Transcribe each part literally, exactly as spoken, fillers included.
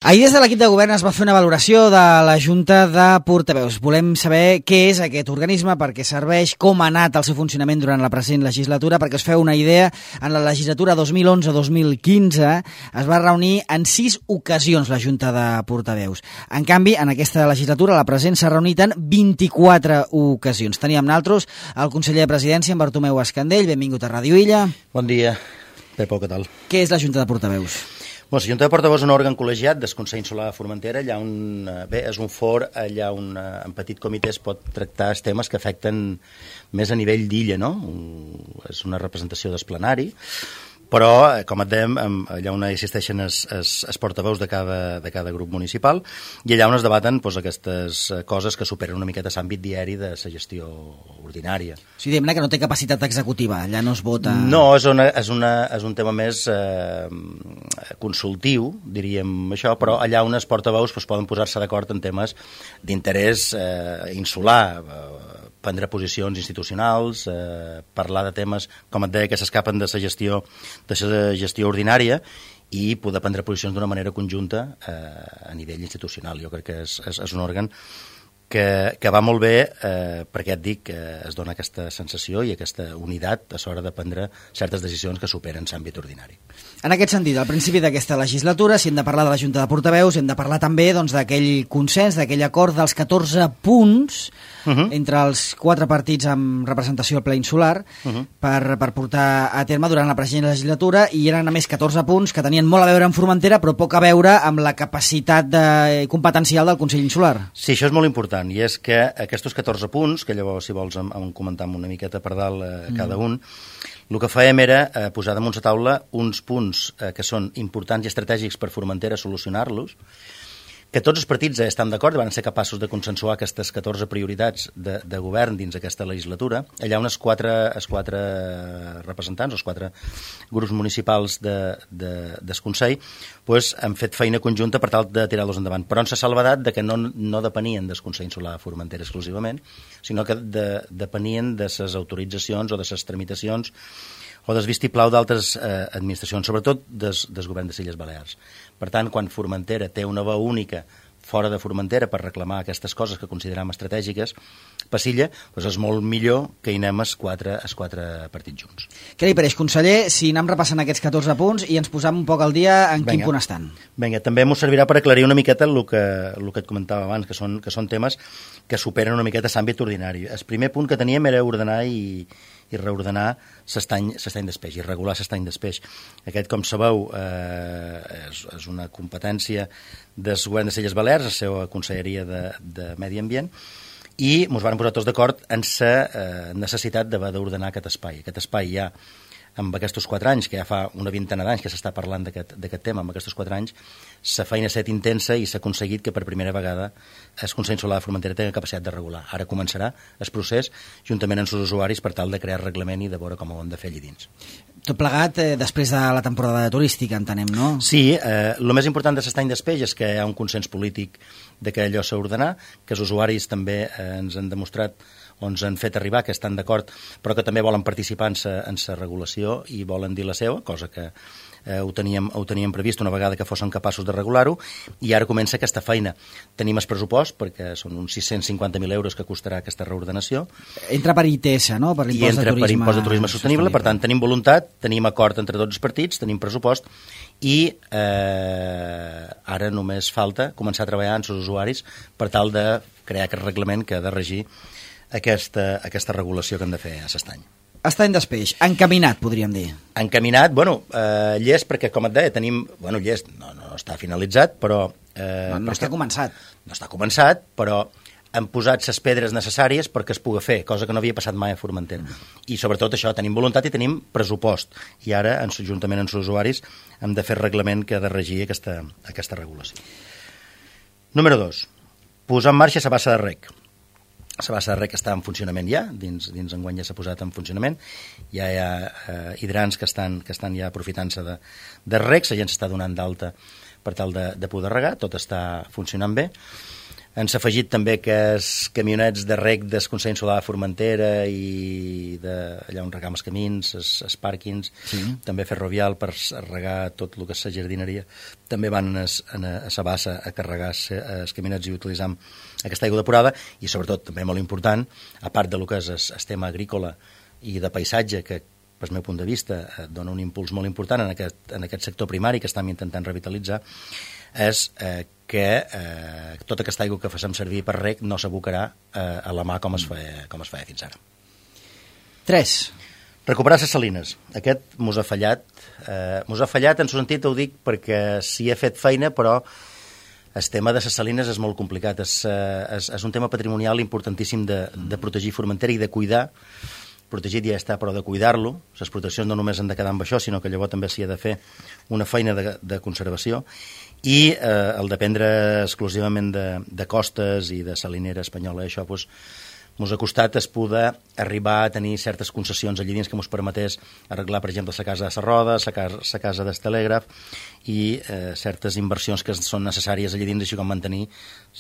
Ahir des de l'equip de govern es va fer una valoració de la Junta de Portaveus. Volem saber què és aquest organisme, per què serveix, com ha anat el seu funcionament durant la present legislatura, perquè us feu una idea. En la legislatura dos mil onze dos mil quinze es va reunir en sis ocasions la Junta de Portaveus. En canvi, en aquesta legislatura, la present, s'ha reunit en vint-i-quatre ocasions. Teníem nosaltres el conseller de Presidència, en Bartomeu Escandell. Benvingut a Ràdio Illa. Bon dia, Pepo, què tal? Què és la Junta de Portaveus? Bon, la Junta de Portaveus és un òrgan col·legiat del Consell Insular de Formentera. Allà on, bé, és un for allà on en petit comitè es pot tractar els temes que afecten més a nivell d'illa, no? És una representació del plenari, però, com et dèiem, allà on existeixen els, els, els portaveus de cada, de cada grup municipal, i allà on es debaten doncs, aquestes coses que superen una miqueta l'àmbit diari de la gestió ordinària. O sigui, diguem-ne que no té capacitat executiva, allà no es vota... No, és, una, és, una, és un tema més eh, consultiu, diríem això, però allà on els portaveus doncs, poden posar-se d'acord en temes d'interès eh, insular, eh, prendre posicions institucionals, eh, parlar de temes, com et deia, que s'escapen de la gestió, de la gestió ordinària i poder prendre posicions d'una manera conjunta eh, a nivell institucional. Jo crec que és, és, és un òrgan que, que va molt bé eh, perquè et dic que es dona aquesta sensació i aquesta unitat a l'hora de prendre certes decisions que superen l'àmbit ordinari. En aquest sentit, al principi d'aquesta legislatura, si hem de parlar de la Junta de Portaveus, hem de parlar també doncs, d'aquell consens, d'aquell acord dels catorze punts uh -huh. entre els quatre partits amb representació al ple insular uh -huh. per, per portar a terme durant la present legislatura, i eren a més catorze punts que tenien molt a veure amb Formentera però poc a veure amb la capacitat de, competencial del Consell Insular. Sí, això és molt important, i és que aquests catorze punts, que llavors, si vols, em, em comentar una miqueta per dalt eh, cada mm. un, el que fèiem era eh, posar damunt la taula uns punts eh, que són importants i estratègics per Formentera solucionar-los, que tots els partits estan d'acord i van ser capaços de consensuar aquestes catorze prioritats de, de govern dins aquesta legislatura. Allà on els quatre, els quatre representants, els quatre grups municipals de, de, del Consell, pues, han fet feina conjunta per tal de tirar-los endavant, però amb la salvedat de que no, no depenien del Consell Insular de Formentera exclusivament, sinó que de, depenien de les autoritzacions o de les tramitacions o del vistiplau d'altres eh, administracions, sobretot des, des govern de les Illes Balears. Per tant, quan Formentera té una veu única fora de Formentera per reclamar aquestes coses que considerem estratègiques, per l'illa, doncs és molt millor que hi anem els quatre, els quatre partits junts. Què li pareix, conseller, si anem repassant aquests catorze punts i ens posam un poc al dia en Venga. Quin punt estan? Vinga, també m'ho servirà per aclarir una miqueta el que, el que et comentava abans, que són, que són temes que superen una miqueta l'àmbit ordinari. El primer punt que teníem era ordenar i i reordenar l'estany d'espeix, i regular l'estany d'espeix. Aquest, com sabeu, eh, és, és una competència del govern de les Illes Balears, la seva conselleria de, de Medi Ambient, i ens van posar tots d'acord en la eh, necessitat d'haver d'ordenar aquest espai. Aquest espai ja, amb aquests quatre anys, que ja fa una vintena d'anys que s'està parlant d'aquest tema, amb aquests quatre anys, la feina ha estat intensa i s'ha aconseguit que per primera vegada el Consell Insular de Formentera tingui capacitat de regular. Ara començarà el procés juntament amb els usuaris per tal de crear reglament i de veure com ho hem de fer allà dins. Tot plegat eh, després de la temporada turística, entenem, no? Sí, eh, el més important de l'estany d'espeix és que hi ha un consens polític de que allò s'ha d'ordenar, que els usuaris també eh, ens han demostrat o ens han fet arribar que estan d'acord, però que també volen participar en sa, en sa regulació i volen dir la seva, cosa que eh, ho, teníem, ho teníem previst una vegada que fossin capaços de regular-ho, i ara comença aquesta feina. Tenim el pressupost, perquè són uns sis-cents cinquanta mil euros que costarà aquesta reordenació. Entra per I T S, no? Per l'impost de turisme, per impost de turisme sostenible, sostenible. Per tant, tenim voluntat, tenim acord entre tots els partits, tenim pressupost, i eh, ara només falta començar a treballar amb els usuaris per tal de crear aquest reglament que ha de regir Aquesta, aquesta regulació que hem de fer a l'estany. Estany d'espeix, encaminat, podríem dir. Encaminat, bueno, eh, llest, perquè, com et deia, tenim... Bueno, llest, no, no està finalitzat, però... Eh, no, no està començat. No està començat, però hem posat les pedres necessàries perquè es pugui fer, cosa que no havia passat mai a Formentera. Mm. I, sobretot, això, tenim voluntat i tenim pressupost. I ara, en, juntament amb els usuaris, hem de fer el reglament que ha de regir aquesta, aquesta regulació. Número dos. Posar en marxa la bassa de rec. La bassa de rec està en funcionament ja, dins, dins enguany ja s'ha posat en funcionament, ja hi ha eh, hidrants que estan, que estan ja aprofitant-se de, de rec, la gent s'està donant d'alta per tal de, de poder regar, tot està funcionant bé. Han afegit també que els camionets de rec del Consell Insular de Formentera i de, allà on regam els camins, els, els pàrquings, sí. També ferrovial per regar tot el que és la jardineria, també van a la bassa a carregar els camionets i utilitzar aquesta aigua depurada i sobretot, també molt important, a part del que és el, el tema agrícola i de paisatge, que pel meu punt de vista dona un impuls molt important en aquest, en aquest sector primari que estem intentant revitalitzar, és eh, que eh, tota aquesta aigua que fem servir per rec no s'abocarà eh, a la mà com es feia, com es feia fins ara. tres. Recuperar les salines. Aquest mos ha fallat. Eh, mos ha fallat en el sentit, ho dic, perquè s'hi ha fet feina, però el tema de les salines és molt complicat. És, eh, és, és un tema patrimonial importantíssim de, de protegir Formentera i de cuidar. Protegit ja està, però de cuidar-lo. Les proteccions no només han de quedar amb això, sinó que llavors també s'hi ha de fer una feina de, de conservació i eh, el dependre exclusivament de, de costes i de salinera espanyola. Això doncs, mos ha costat es poder arribar a tenir certes concessions allí dins que mos permetés arreglar, per exemple, la casa de la Roda, la casa, la casa del telègraf i eh, certes inversions que són necessàries allí dins, així com mantenir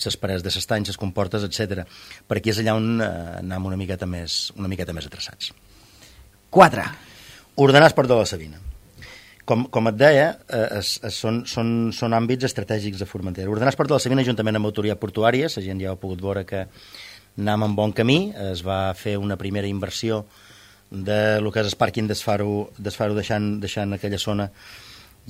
les parets de l'estany, les comportes, etcètera. Per aquí és allà on eh, anem una miqueta més, una miqueta més atreçats. quatre. Ordenar el port de la Sabina. Com, com et deia, eh, es, es, són, són, són àmbits estratègics de Formentera. Ordenar el port de la Sabina juntament amb autoritat portuària, la gent ja ha pogut veure que anàvem en bon camí, es va fer una primera inversió de lo que és el pàrquing d'Esfaro, d'Esfaro deixant, deixant aquella zona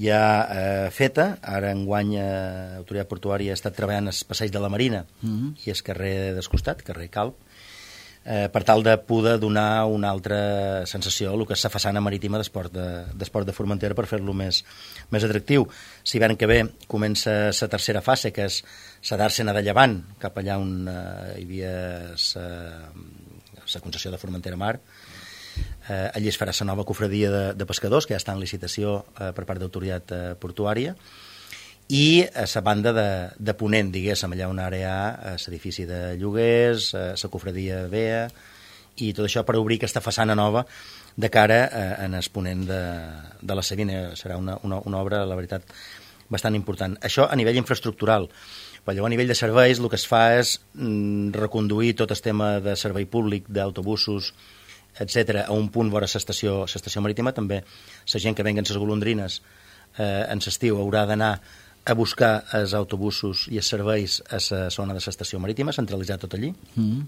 ja eh, feta. Ara enguany eh, autoritat portuària ha estat treballant el passeig de la Marina mm-hmm. i el carrer del costat, carrer Calp, eh, per tal de poder donar una altra sensació a el que és la façana marítima d'esport de, d'esport de Formentera per fer-lo més, més atractiu. Si l'hivern que ve comença la tercera fase, que és la d'Àrsena de Llevant, cap allà on eh, hi havia la concessió de Formentera Mar. Eh, allí es farà la nova cofradia de, de pescadors, que ja està en licitació eh, per part d'autoritat eh, portuària, i a la banda de, de Ponent, diguéssim, allà on ara hi ha l'edifici de lloguers, la cofradia B E A, i tot això per obrir aquesta façana nova de cara a, en el Ponent de, de la Sabina. Serà una, una, una obra, la veritat, bastant important. Això a nivell infraestructural. Però llavors, a nivell de serveis, el que es fa és mm, reconduir tot el tema de servei públic, d'autobusos, etcètera, a un punt vora l'estació l'estació marítima. També la gent que venguen les golondrines eh, en l'estiu haurà d'anar a buscar els autobusos i els serveis a la zona de l'estació marítima, centralitzar tot allí, mm.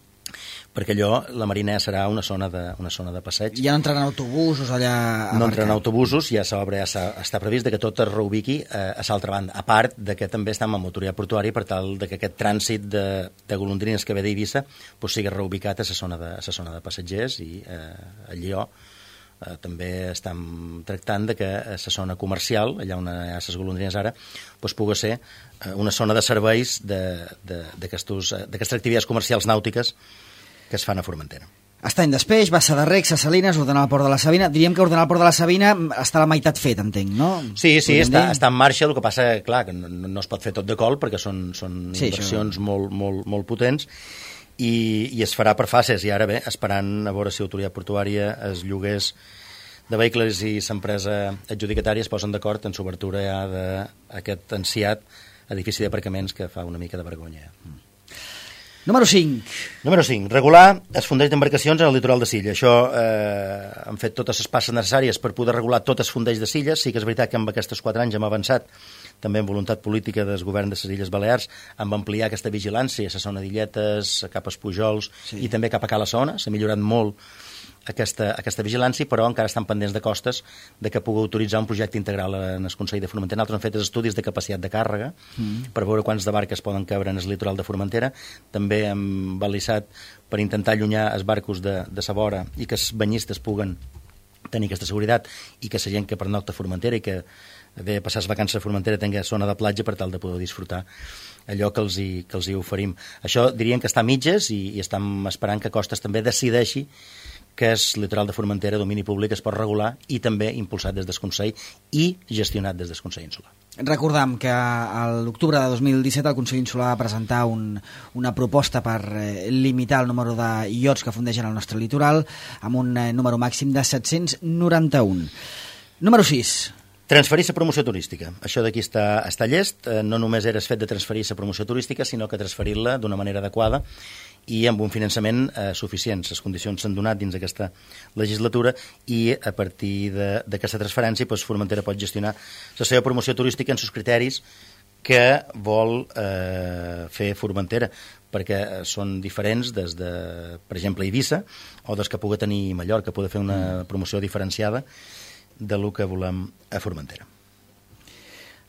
perquè allò, la Marina serà una zona de, una zona de passeig. Ja no entraran autobusos allà... No entraran autobusos, ja s'obre, ja està previst que tot es reubiqui eh, a l'altra banda, a part de que també estem amb autoritat portuària per tal de que aquest trànsit de, de golondrines que ve d'Eivissa pues, sigui reubicat a la zona de, a la zona de passatgers i eh, allí jo Eh, també estem tractant de que a la zona comercial, allà on hi ha les golondrines ara, doncs pugui ser eh, una zona de serveis d'aquestes activitats comercials nàutiques que es fan a Formentera. Estany d'Espeix, Bassa de Rec, Ses Salines, ordenar el port de la Sabina. Diríem que ordenar el port de la Sabina està a la meitat fet, entenc, no? Sí, sí, està, està en marxa, el que passa, clar, que no, no es pot fer tot de col perquè són, són sí, inversions això... molt, molt, molt potents i, i es farà per fases, i ara bé, esperant a veure si l'autoritat portuària, els lloguers de vehicles i l'empresa adjudicatària es posen d'acord en l'obertura ja d'aquest anciat edifici d'aparcaments que fa una mica de vergonya. Número cinc. Número cinc. Regular els fondells d'embarcacions en el litoral de Silla. Això eh, han fet totes les passes necessàries per poder regular tots els fondells de Silles. Sí que és veritat que en aquests quatre anys hem avançat també amb voluntat política del govern de les Illes Balears, amb ampliar aquesta vigilància a la zona d'Illetes, cap als Pujols sí. i també cap a Cala Sona. S'ha millorat molt aquesta, aquesta vigilància, però encara estan pendents de costes de que pugui autoritzar un projecte integral en el Consell de Formentera. Nosaltres hem fet estudis de capacitat de càrrega mm. per veure quants de barques poden cabre en el litoral de Formentera. També hem balisat per intentar allunyar els barcos de, de sa vora i que els banyistes puguen tenir aquesta seguretat i que la gent que pernocta a Formentera i que ve a passar les vacances a Formentera tingui zona de platja per tal de poder disfrutar allò que els hi, que els hi oferim. Això diríem que està a mitges i, i estem esperant que Costes també decideixi que és litoral de Formentera, domini públic, es pot regular i també impulsat des del Consell i gestionat des del Consell Insular. Recordam que a l'octubre de dos mil disset el Consell Insular va presentar un, una proposta per eh, limitar el número de iots que fundeixen el nostre litoral amb un eh, número màxim de set-cents noranta-un. Número sis. Transferir la promoció turística. Això d'aquí està, està llest. No només era el fet de transferir la promoció turística, sinó que transferir-la d'una manera adequada i amb un finançament eh, suficient. Les condicions s'han donat dins d'aquesta legislatura i a partir d'aquesta transferència doncs, Formentera pot gestionar la seva promoció turística en els criteris que vol eh, fer Formentera, perquè són diferents des de, per exemple, Eivissa o des que pugui tenir Mallorca, pugui fer una promoció diferenciada de lo que volem a Formentera.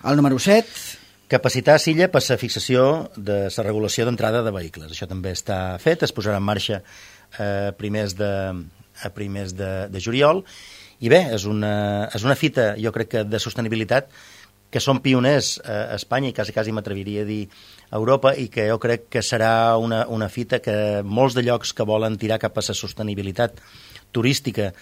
El número set. Capacitar Silla per la fixació de la regulació d'entrada de vehicles. Això també està fet, es posarà en marxa a primers de, a primers de, de juliol. I bé, és una, és una fita, jo crec que de sostenibilitat, que són pioners a Espanya i quasi, quasi m'atreviria a dir a Europa, i que jo crec que serà una, una fita que molts de llocs que volen tirar cap a la sostenibilitat turística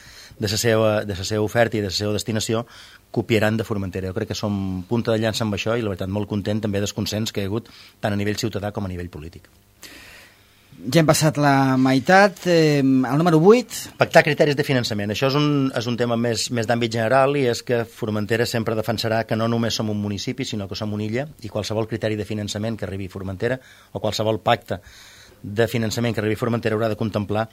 de la seva, de la seva oferta i de la seva destinació copiaran de Formentera. Jo crec que som punta de llança amb això i la veritat molt content també del consens que hi ha hagut tant a nivell ciutadà com a nivell polític. Ja hem passat la meitat. Eh, el número vuit. Pactar criteris de finançament. Això és un, és un tema més, més d'àmbit general i és que Formentera sempre defensarà que no només som un municipi, sinó que som una illa, i qualsevol criteri de finançament que arribi a Formentera o qualsevol pacte de finançament que arribi a Formentera haurà de contemplar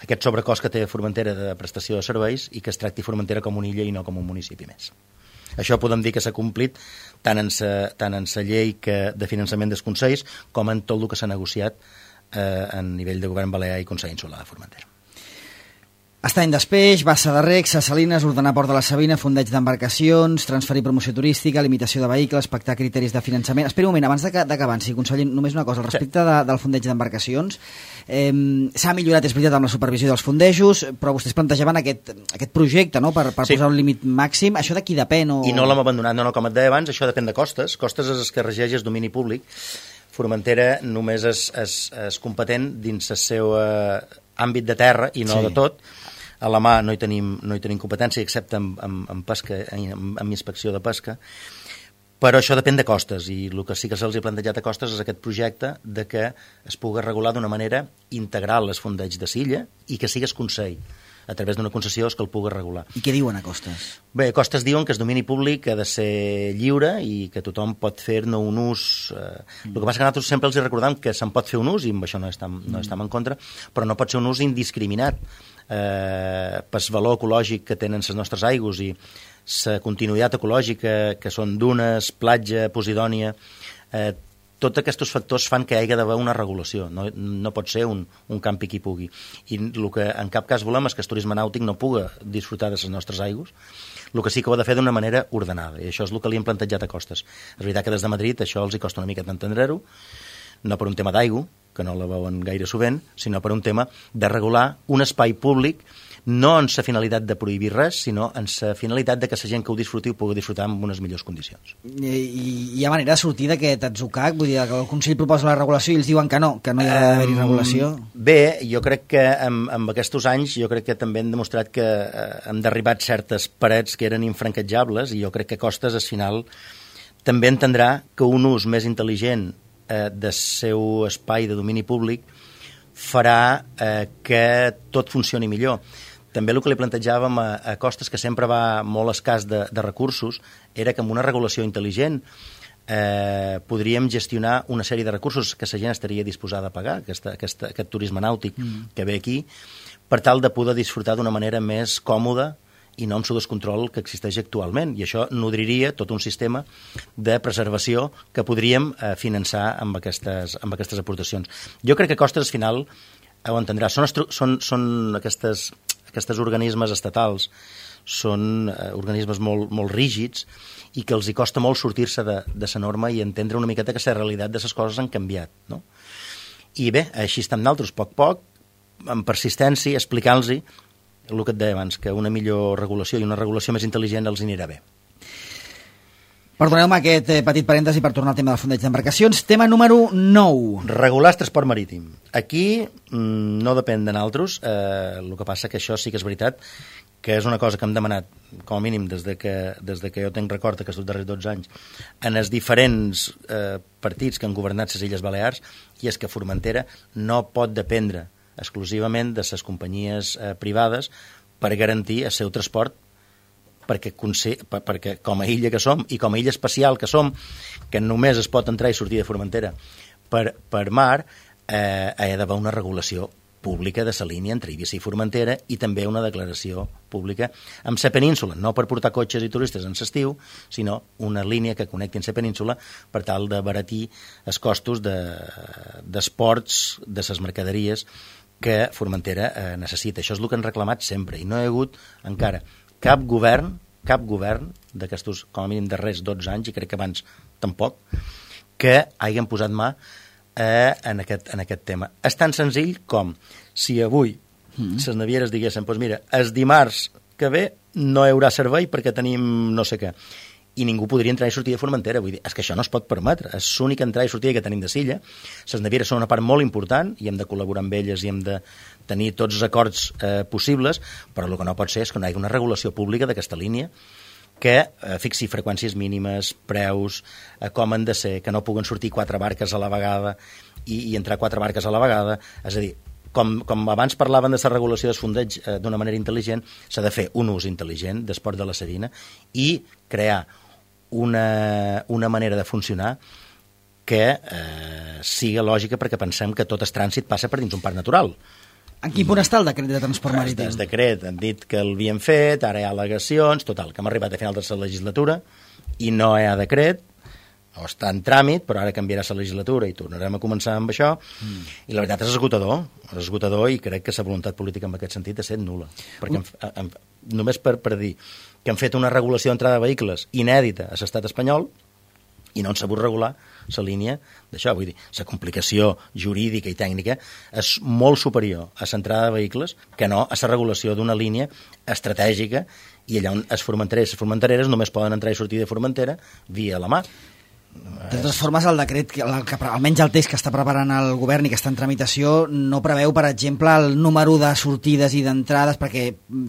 aquest sobrecost que té Formentera de prestació de serveis i que es tracti Formentera com una illa i no com un municipi més. Això podem dir que s'ha complit tant en sa, tant en sa llei que, de finançament dels consells com en tot el que s'ha negociat eh, a nivell de govern balear i Consell Insular de Formentera. Estany d'Espeix, Bassa de Rec, Ses Salines, ordenar Port de la Sabina, fondeig d'embarcacions, transferir promoció turística, limitació de vehicles, pactar criteris de finançament. Espera un moment, abans d'acabar, sí, conseller, només una cosa. Al respecte de, del fondeig d'embarcacions, eh, s'ha millorat, és veritat, amb la supervisió dels fondejos, però vostès plantejaven aquest, aquest projecte, no?, per, per sí. posar un límit màxim. Això de qui depèn? O... I no l'hem abandonat, no, no, com et deia abans, això depèn de costes. Costes és el que regeix el domini públic. Formentera només és, és, és competent dins el seu eh, àmbit de terra i no sí. de tot. A la mà no hi tenim, no hi tenim competència, excepte en, en, en pesca, en, en inspecció de pesca, però això depèn de costes, i el que sí que se'ls ha plantejat a costes és aquest projecte de que es pugui regular d'una manera integral les fondeig de Silla i que sigues Consell, a través d'una concessió és que el pugui regular. I què diuen a Costes? Bé, a Costes diuen que el domini públic ha de ser lliure i que tothom pot fer-ne un ús. Eh, mm. El que passa que nosaltres sempre els recordem que se'n pot fer un ús, i amb això no estem, no estem en contra, però no pot ser un ús indiscriminat. Eh, pel valor ecològic que tenen les nostres aigües i la continuïtat ecològica que són dunes, platja, Posidònia, eh, tots aquests factors fan que hi hagi d'haver una regulació, no, no pot ser un, un campi qui pugui, i el que en cap cas volem és que el turisme nàutic no pugui disfrutar de les nostres aigües. El que sí que ho ha de fer d'una manera ordenada, i això és el que li hem plantejat a Costes. És veritat que des de Madrid això els hi costa una mica d'entendre-ho, no per un tema d'aigua, que no la veuen gaire sovint, sinó per un tema de regular un espai públic, no en la finalitat de prohibir res, sinó en la finalitat de que la gent que ho disfruti ho pugui disfrutar en unes millors condicions. I, i hi ha manera de sortir d'aquest atzucac? Vull dir, que el Consell proposa la regulació i ells diuen que no, que no hi ha d'haver-hi regulació? Bé, jo crec que amb, amb aquests anys jo crec que també hem demostrat que eh, hem derribat certes parets que eren infranquejables, i jo crec que Costes, al final, també entendrà que un ús més intel·ligent eh, del seu espai de domini públic farà eh, que tot funcioni millor. També el que li plantejàvem a, a Costes, que sempre va molt escàs de, de recursos, era que amb una regulació intel·ligent eh, podríem gestionar una sèrie de recursos que la gent estaria disposada a pagar, aquesta, aquesta, aquest turisme nàutic mm. que ve aquí, per tal de poder disfrutar d'una manera més còmoda i no amb el descontrol que existeix actualment. I això nodriria tot un sistema de preservació que podríem eh, finançar amb aquestes, amb aquestes aportacions. Jo crec que Costes, al final, ho entendrà. Són, són, són aquestes, aquestes organismes estatals, són eh, organismes molt, molt rígids i que els hi costa molt sortir-se de, de la norma i entendre una miqueta que la realitat de les coses han canviat, no? I bé, així estem nosaltres, poc a poc, amb persistència, explicant-los el que et deia abans, que una millor regulació i una regulació més intel·ligent els anirà bé. Perdoneu-me aquest eh, petit parèntesi per tornar al tema del fondeig d'embarcacions. Tema número nou. Regular el transport marítim. Aquí mmm, no depèn de nosaltres, eh, el que passa que això sí que és veritat, que és una cosa que hem demanat, com a mínim, des de que, des de que jo tenc record aquests darrers dotze anys, en els diferents eh, partits que han governat les Illes Balears, i és que Formentera no pot dependre exclusivament de les companyies eh, privades per garantir el seu transport perquè, perquè com a illa que som i com a illa especial que som, que només es pot entrar i sortir de Formentera per, per mar, eh, ha d'haver una regulació pública de la línia entre Eivissa i Formentera i també una declaració pública amb la península, no per portar cotxes i turistes en l'estiu, sinó una línia que connecti amb la península per tal d'abaratir els costos d'esports de, de les mercaderies que Formentera eh, necessita. Això és el que han reclamat sempre i no hi ha hagut encara cap govern, cap govern d'aquestos, com a mínim, darrers dotze anys, i crec que abans tampoc, que hagin posat mà Eh, en, aquest, en aquest tema. És tan senzill com si avui mm. les navieres diguessin, doncs mira, el dimarts que ve no hi haurà servei perquè tenim no sé què, i ningú podria entrar i sortir de Formentera. Vull dir, és que això no es pot permetre, és l'única entrada i sortida que tenim de Silla. Les navieres són una part molt important i hem de col·laborar amb elles i hem de tenir tots els acords eh, possibles, però el que no pot ser és que no hi hagi una regulació pública d'aquesta línia que eh, fixi freqüències mínimes, preus, eh, com han de ser, que no puguen sortir quatre barques a la vegada i, i entrar quatre barques a la vegada. És a dir, com, com abans parlaven de la regulació dels fondeigs eh, d'una manera intel·ligent, s'ha de fer un ús intel·ligent d'esport de la Sedina i crear una, una manera de funcionar que eh, siga lògica, perquè pensem que tot el trànsit passa per dins un parc natural. En quin punt està el decret de transport marítim? El decret han dit que l'havien fet, ara hi ha al·legacions, total, que hem arribat a final de la legislatura i no hi ha decret, o està en tràmit, però ara canviarà la legislatura i tornarem a començar amb això, mm. i la veritat és esgotador, és esgotador i crec que la voluntat política en aquest sentit ha estat nul·la. Perquè mm. en, en, només per, per dir que han fet una regulació d'entrada de vehicles inèdita a l'estat espanyol i no han sabut regular la línia d'això. Vull dir, la complicació jurídica i tècnica és molt superior a l'entrada de vehicles que no a la regulació d'una línia estratègica, i allà on els formentereres, les formentereres només poden entrar i sortir de Formentera via la mar. De totes formes, el decret, que, que, almenys el text que està preparant el govern i que està en tramitació, no preveu, per exemple, el número de sortides i d'entrades, perquè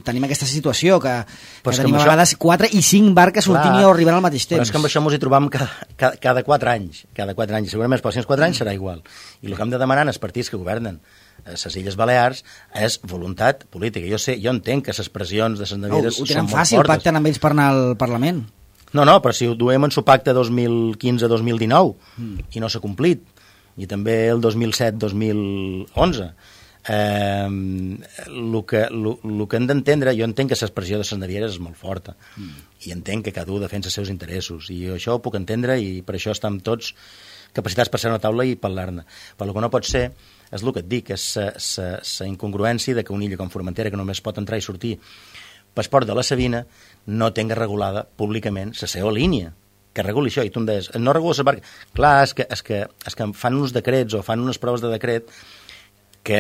tenim aquesta situació, que, que tenim a vegades això... quatre i cinc barques sortint i arribant al mateix temps. Però és que amb això ens hi trobam cada, cada, cada quatre anys, cada quatre anys, segurament els pròxims quatre anys serà igual. I el que hem de demanar als partits que governen a les Illes Balears és voluntat política. Jo sé, jo entenc que les pressions de les navieres no, ho són tenen molt fàcil, fortes. pacten amb ells per anar al Parlament. No, no, però si ho duem en su pacte dos mil quinze dos mil dinou mm. i no s'ha complit, i també el dos mil set dos mil onze, eh, el que, lo, lo que hem d'entendre, jo entenc que l'expressió de les navieres és molt forta, mm. i entenc que cada un defensa els seus interessos, i això ho puc entendre, i per això estem tots capacitats per ser a una taula i parlar-ne. Però el que no pot ser és el que et dic, és la incongruència de que una illa com Formentera, que només pot entrar i sortir Passport de la Sabina, no tenga regulada públicament la seva línia, que reguli això. I tu em deies, no regula la barca. Clar, és que, és, que, és que fan uns decrets o fan unes proves de decret que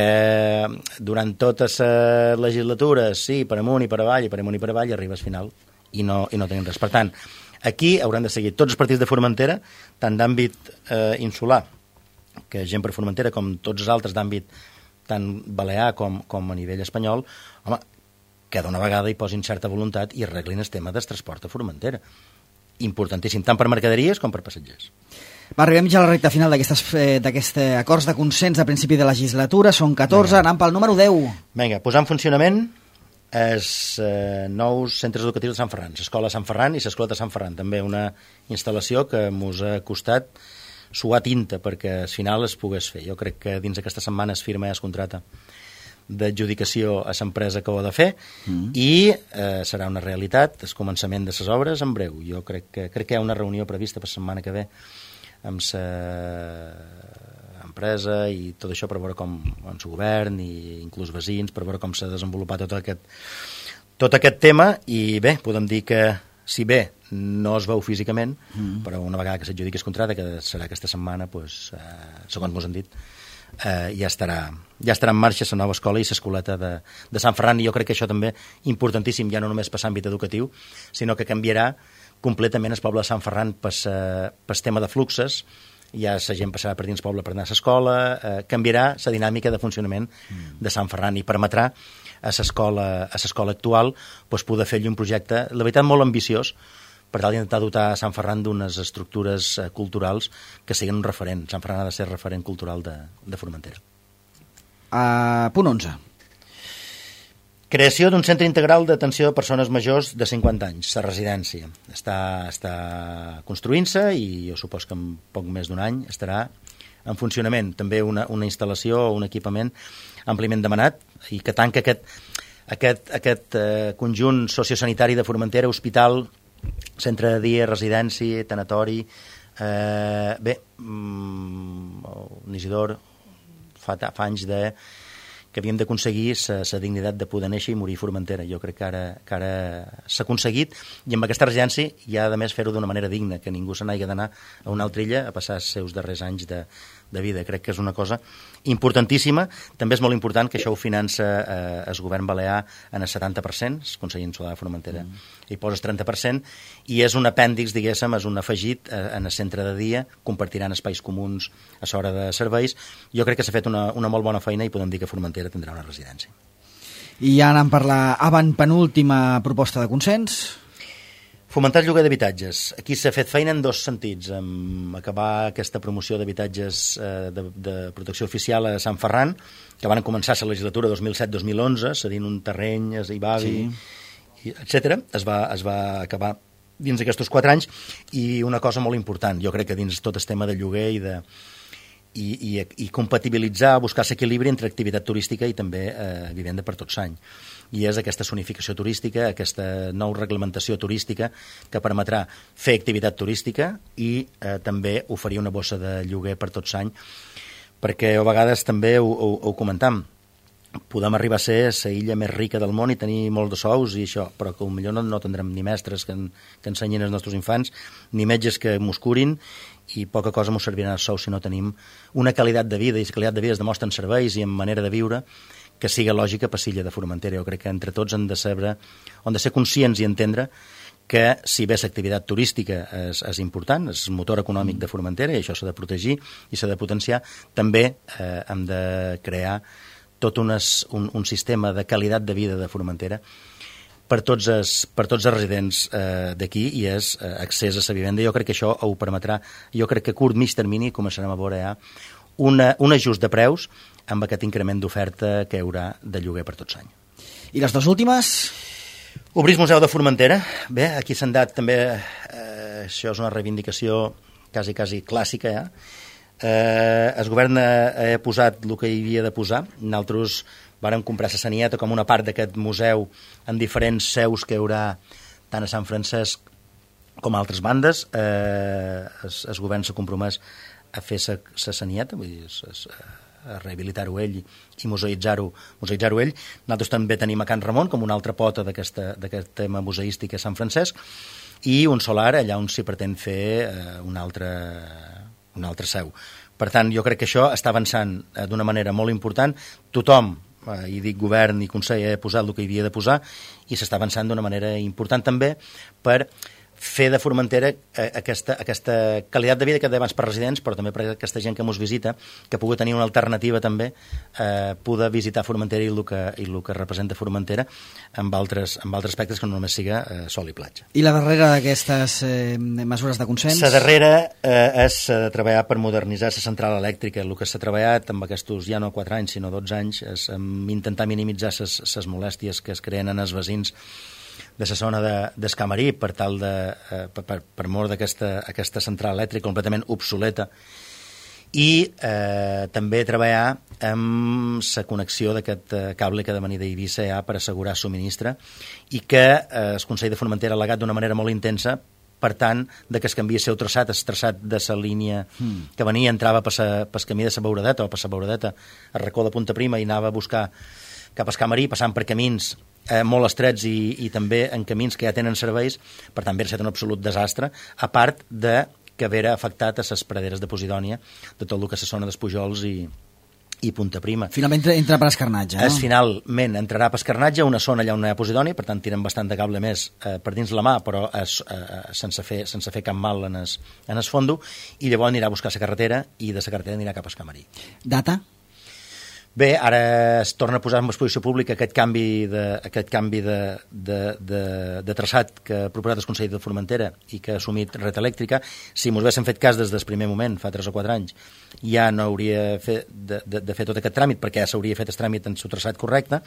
durant tota la legislatura, sí, per amunt i per avall, i per amunt i per avall, arribes al final i no, i no tenen res. Per tant, aquí hauran de seguir tots els partits de Formentera, tant d'àmbit eh, insular, que gent per Formentera, com tots els altres d'àmbit tant balear com, com a nivell espanyol, home, que d'una vegada hi posin certa voluntat i arreglin el tema del transport a Formentera. Importantíssim, tant per mercaderies com per passatgers. Va, arribem ja a la recta final d'aquests eh, acords de consens de principi de legislatura. Són catorze, anant pel número deu. Vinga, posar en funcionament els eh, nous centres educatius de Sant Ferran, l'escola de Sant Ferran i l'escola de Sant Ferran. També una instal·lació que ens ha costat suar tinta perquè al final es pogués fer. Jo crec que dins d'aquesta setmana es firma i es contrata d'adjudicació a l'empresa que ho ha de fer mm. i eh, serà una realitat el començament de les obres en breu. Jo crec que, crec que hi ha una reunió prevista per la setmana que ve amb l'empresa i tot això per veure com el govern i inclús veïns, per veure com s'ha desenvolupat tot aquest, tot aquest tema, i bé, podem dir que si bé no es veu físicament, mm. però una vegada que s'adjudiqui el contracte, que serà aquesta setmana, pues, eh, segons mos han dit, Eh, ja, estarà, ja estarà en marxa la nova escola i l'escoleta de, de Sant Ferran, i jo crec que això també importantíssim, ja no només per l'àmbit educatiu, sinó que canviarà completament el poble de Sant Ferran per el tema de fluxes, ja la gent passarà per dins poble per anar a l'escola, eh, canviarà la dinàmica de funcionament mm. de Sant Ferran i permetrà a l'escola a l'escola actual pues, poder fer-hi un projecte, la veritat, molt ambiciós, per tal d'intentar dotar a Sant Ferran d'unes estructures eh, culturals que siguin un referent. Sant Ferran ha de ser referent cultural de, de Formentera. Uh, punt onze. Creació d'un centre integral d'atenció a persones majors de cinquanta anys, la residència. Està, està construint-se i jo supos que en poc més d'un any estarà en funcionament. També una, una instal·lació o un equipament àmpliament demanat i que tanca aquest, aquest, aquest eh, conjunt sociosanitari de Formentera, hospital, centre de dia, residència, tanatori. Eh, bé, mm, Isidor fa, fa anys de... que havíem d'aconseguir la dignitat de poder néixer i morir a Formentera. Jo crec que ara, que ara s'ha aconseguit, i amb aquesta residència hi ha, a més, fer-ho d'una manera digna, que ningú se n'hagi d'anar a una altra illa a passar els seus darrers anys de, de vida. Crec que és una cosa importantíssima. També és molt important que això ho finança eh, el govern balear en el setanta per cent, el Consell Insular de Formentera, mm. hi posa el trenta per cent, i és un apèndix, diguéssim, és un afegit eh, en el centre de dia, compartiran espais comuns a l'hora de serveis. Jo crec que s'ha fet una, una molt bona feina i podem dir que Formentera tindrà una residència. I ja anem per la avantpenúltima proposta de consens. Fomentar el lloguer d'habitatges. Aquí s'ha fet feina en dos sentits, amb acabar aquesta promoció d'habitatges eh, de, de protecció oficial a Sant Ferran, que van començar la legislatura dos mil set dos mil onze, cedint un terreny a Ibavi, sí. etcètera. Es va, es va acabar dins d'aquests quatre anys, i una cosa molt important, jo crec que dins tot el tema de lloguer i de I, i, i compatibilitzar, buscar l'equilibri entre activitat turística i també eh, vivenda per tot l'any. I és aquesta zonificació turística, aquesta nova reglamentació turística que permetrà fer activitat turística i eh, també oferir una bossa de lloguer per tot l'any, perquè a vegades també ho, ho, ho comentam, podem arribar a ser la illa més rica del món i tenir molts de sous i això, però que potser no, no tindrem ni mestres que, en, que ensenyin als nostres infants, ni metges que mos curin, i poca cosa ens servirà els sous si no tenim una qualitat de vida, i la qualitat de vida es demostra en serveis i en manera de viure que siga lògica per l'illa de Formentera. Jo crec que entre tots hem de saber, hem de ser conscients i entendre que si bé l'activitat turística és, és important, és motor econòmic de Formentera i això s'ha de protegir i s'ha de potenciar, també eh, hem de crear tot unes, un, un sistema de qualitat de vida de Formentera per tots els, per tots els residents eh, d'aquí, i és eh, accés a la vivenda. Jo crec que això ho permetrà. Jo crec que a curt, mig termini començarem a veure ja una, un ajust de preus amb aquest increment d'oferta que hi haurà de lloguer per tot l'any. I les dues últimes? Obrir el Museu de Formentera. Bé, aquí s'han dat també, eh, això és una reivindicació quasi, quasi clàssica, ja. Eh, el govern ha, ha posat el que hi havia de posar. Nosaltres vàrem comprar la Sanieta com una part d'aquest museu en diferents seus que hi haurà tant a Sant Francesc com a altres bandes. Eh, el, el govern s'ha compromès a fer la Sanieta, vull dir, es, es, a rehabilitar-ho ell i, i museïtzar-ho museïtzar-ho ell. Nosaltres també tenim a Can Ramon com una altra pota d'aquest tema museístic a Sant Francesc, i un solar allà on s'hi pretén fer eh, un altre, un altre seu. Per tant, jo crec que això està avançant eh, d'una manera molt important. Tothom, i dic govern i consell, ha posat el que hi havia de posar, i s'està avançant d'una manera important també per fer de Formentera aquesta, aquesta qualitat de vida que abans per residents, però també per aquesta gent que ens visita, que pugui tenir una alternativa també, eh, poder visitar Formentera i el que, i el que representa Formentera amb altres, amb altres aspectes que no només siga eh, sol i platja. I la darrera d'aquestes eh, mesures de consens? La darrera eh, és eh, treballar per modernitzar la central elèctrica. El que s'ha treballat amb aquests ja no quatre anys sinó dotze anys és amb intentar minimitzar les molèsties que es creen en els veïns de la zona d'Escamarí per tal de, eh, per, per, per mort d'aquesta aquesta central elèctrica completament obsoleta, i eh, també treballar amb la connexió d'aquest eh, cable que ha de venir d'Eivissa ja per assegurar subministre, i que eh, el Consell de Formentera ha al·legat d'una manera molt intensa, per tant, de que es canvia el seu traçat, el traçat de la línia mm. que venia, entrava pel camí de la Beuradeta o per la Beuradeta a Racó de Punta Prima i anava a buscar cap a Escamarí, passant per camins eh, molt estrets i, i també en camins que ja tenen serveis. Per tant, hauria estat un absolut desastre, a part de que hauria afectat a les praderes de Posidònia, de tot el que és la zona dels Pujols i, i Punta Prima. Finalment entra per Escarnatge, no? Es finalment entrarà per Escarnatge, una zona allà on hi ha Posidònia, per tant tiren bastant de cable més eh, per dins la mà, però es, eh, sense, fer, sense fer cap mal en es, en es fondo, i llavors anirà a buscar la carretera, i de la carretera anirà cap a Escamarí. Data? Bé, ara es torna a posar en exposició pública aquest canvi de, aquest canvi de, de, de, de traçat que ha proposat el Consell de Formentera i que ha assumit Red Elèctrica. Si mos haguéssim fet cas des del primer moment, fa tres o quatre anys, ja no hauria fet de, de, de fer tot aquest tràmit, perquè ja s'hauria fet el tràmit en el traçat correcte,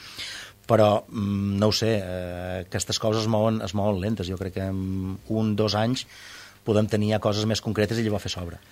però no ho sé, eh, aquestes coses es mouen, es mouen lentes. Jo crec que en un, dos anys podem tenir ja coses més concretes i llavors fer sobre.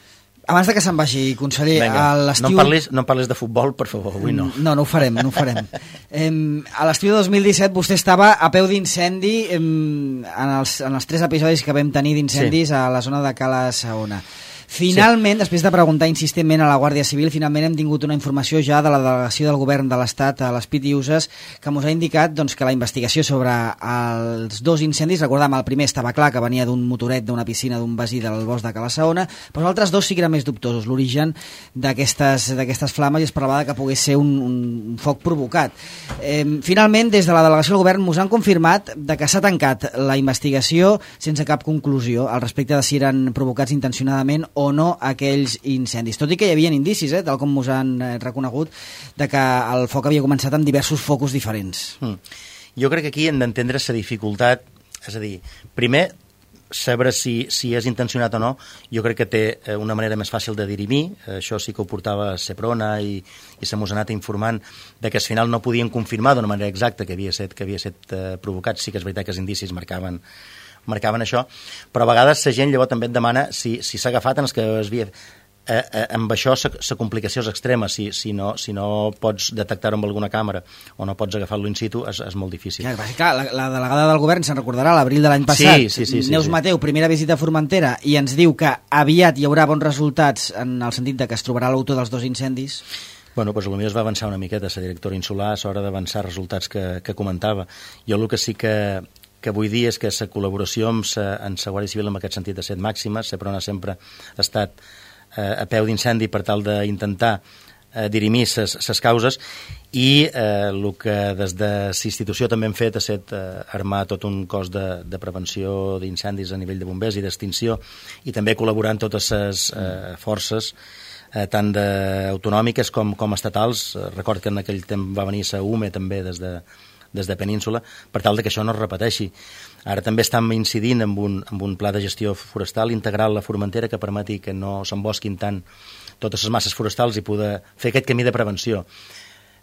Abans de que se'n vagi, conseller, Vinga, a l'estiu... No, em parlis, no em parlis de futbol, per favor, avui no. No, no ho farem, no ho farem. eh, a l'estiu de dos mil disset vostè estava a peu d'incendi eh, en, els, en els tres episodis que vam tenir d'incendis sí. a la zona de Cala Saona. Finalment, sí. després de preguntar insistentment a la Guàrdia Civil, finalment hem tingut una informació ja de la delegació del govern de l'Estat a les P I T I U S E que ens ha indicat doncs, que la investigació sobre els dos incendis, recordem, el primer estava clar que venia d'un motoret d'una piscina d'un veí del bosc de Cala Saona, però els altres dos sí que eren més dubtosos, l'origen d'aquestes d'aquestes flames, i es parlava que pogués ser un, un foc provocat. Eh, finalment, des de la delegació del govern ens han confirmat de que s'ha tancat la investigació sense cap conclusió al respecte de si eren provocats intencionadament o no aquells incendis, tot i que hi havia indicis, eh, tal com us han eh, reconegut, de que el foc havia començat amb diversos focus diferents. Mm. Jo crec que aquí hem d'entendre la dificultat, és a dir, primer, saber si, si és intencionat o no, jo crec que té una manera més fàcil de dirimir, això sí que ho portava Seprona i, i se mos ha anat informant de que al final no podien confirmar d'una manera exacta que havia estat, que havia estat eh, provocat, sí que és veritat que els indicis marcaven marcaven això, però a vegades la gent llavors també et demana si si s'ha agafat en els que es havia... Eh, eh, amb això la complicació és extrema, si, si, no, si no pots detectar-ho amb alguna càmera o no pots agafar-lo in situ, és, és molt difícil. Clar, clar, la, la delegada del govern se'n recordarà l'abril de l'any passat, sí, sí, sí, sí, Neus sí. Mateu, primera visita a Formentera, i ens diu que aviat hi haurà bons resultats en el sentit de que es trobarà l'autor dels dos incendis. Bueno, doncs potser es va avançar una miqueta la directora insular a l'hora d'avançar resultats que, que comentava. Jo el que sí que que vull dir és que la col·laboració amb la, amb la Guàrdia Civil en aquest sentit ha estat màxima, Seprona sempre ha estat eh, a peu d'incendi per tal d'intentar eh, dirimir les causes i eh, el que des de la institució també hem fet ha estat eh, armar tot un cos de, de prevenció d'incendis a nivell de bombers i d'extinció i també col·laborar amb totes les eh, forces eh, tant de, autonòmiques com, com estatals. Record que en aquell temps va venir la U M E també des de des de Península, per tal de que això no es repeteixi. Ara també estem incidint en un, en un pla de gestió forestal integral a la Formentera que permeti que no s'embosquin tant totes les masses forestals i poder fer aquest camí de prevenció.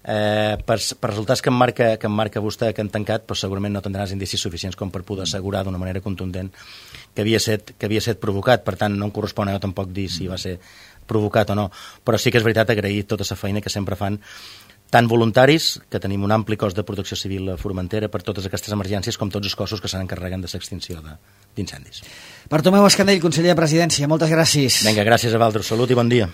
Eh, per, per resultats que em, marca, que em marca vostè que han tancat, però segurament no tindràs indicis suficients com per poder assegurar d'una manera contundent que havia set, que havia set provocat. Per tant, no em correspon a jo tampoc dir si va ser provocat o no, però sí que és veritat agrair tota la feina que sempre fan tant voluntaris, que tenim un ampli cos de protecció civil a Formentera per totes aquestes emergències, com tots els cossos que s'encarreguen de l'extinció d'incendis. Bartomeu Escandell, conseller de Presidència, moltes gràcies. Vinga, gràcies a Valtros, salut i bon dia.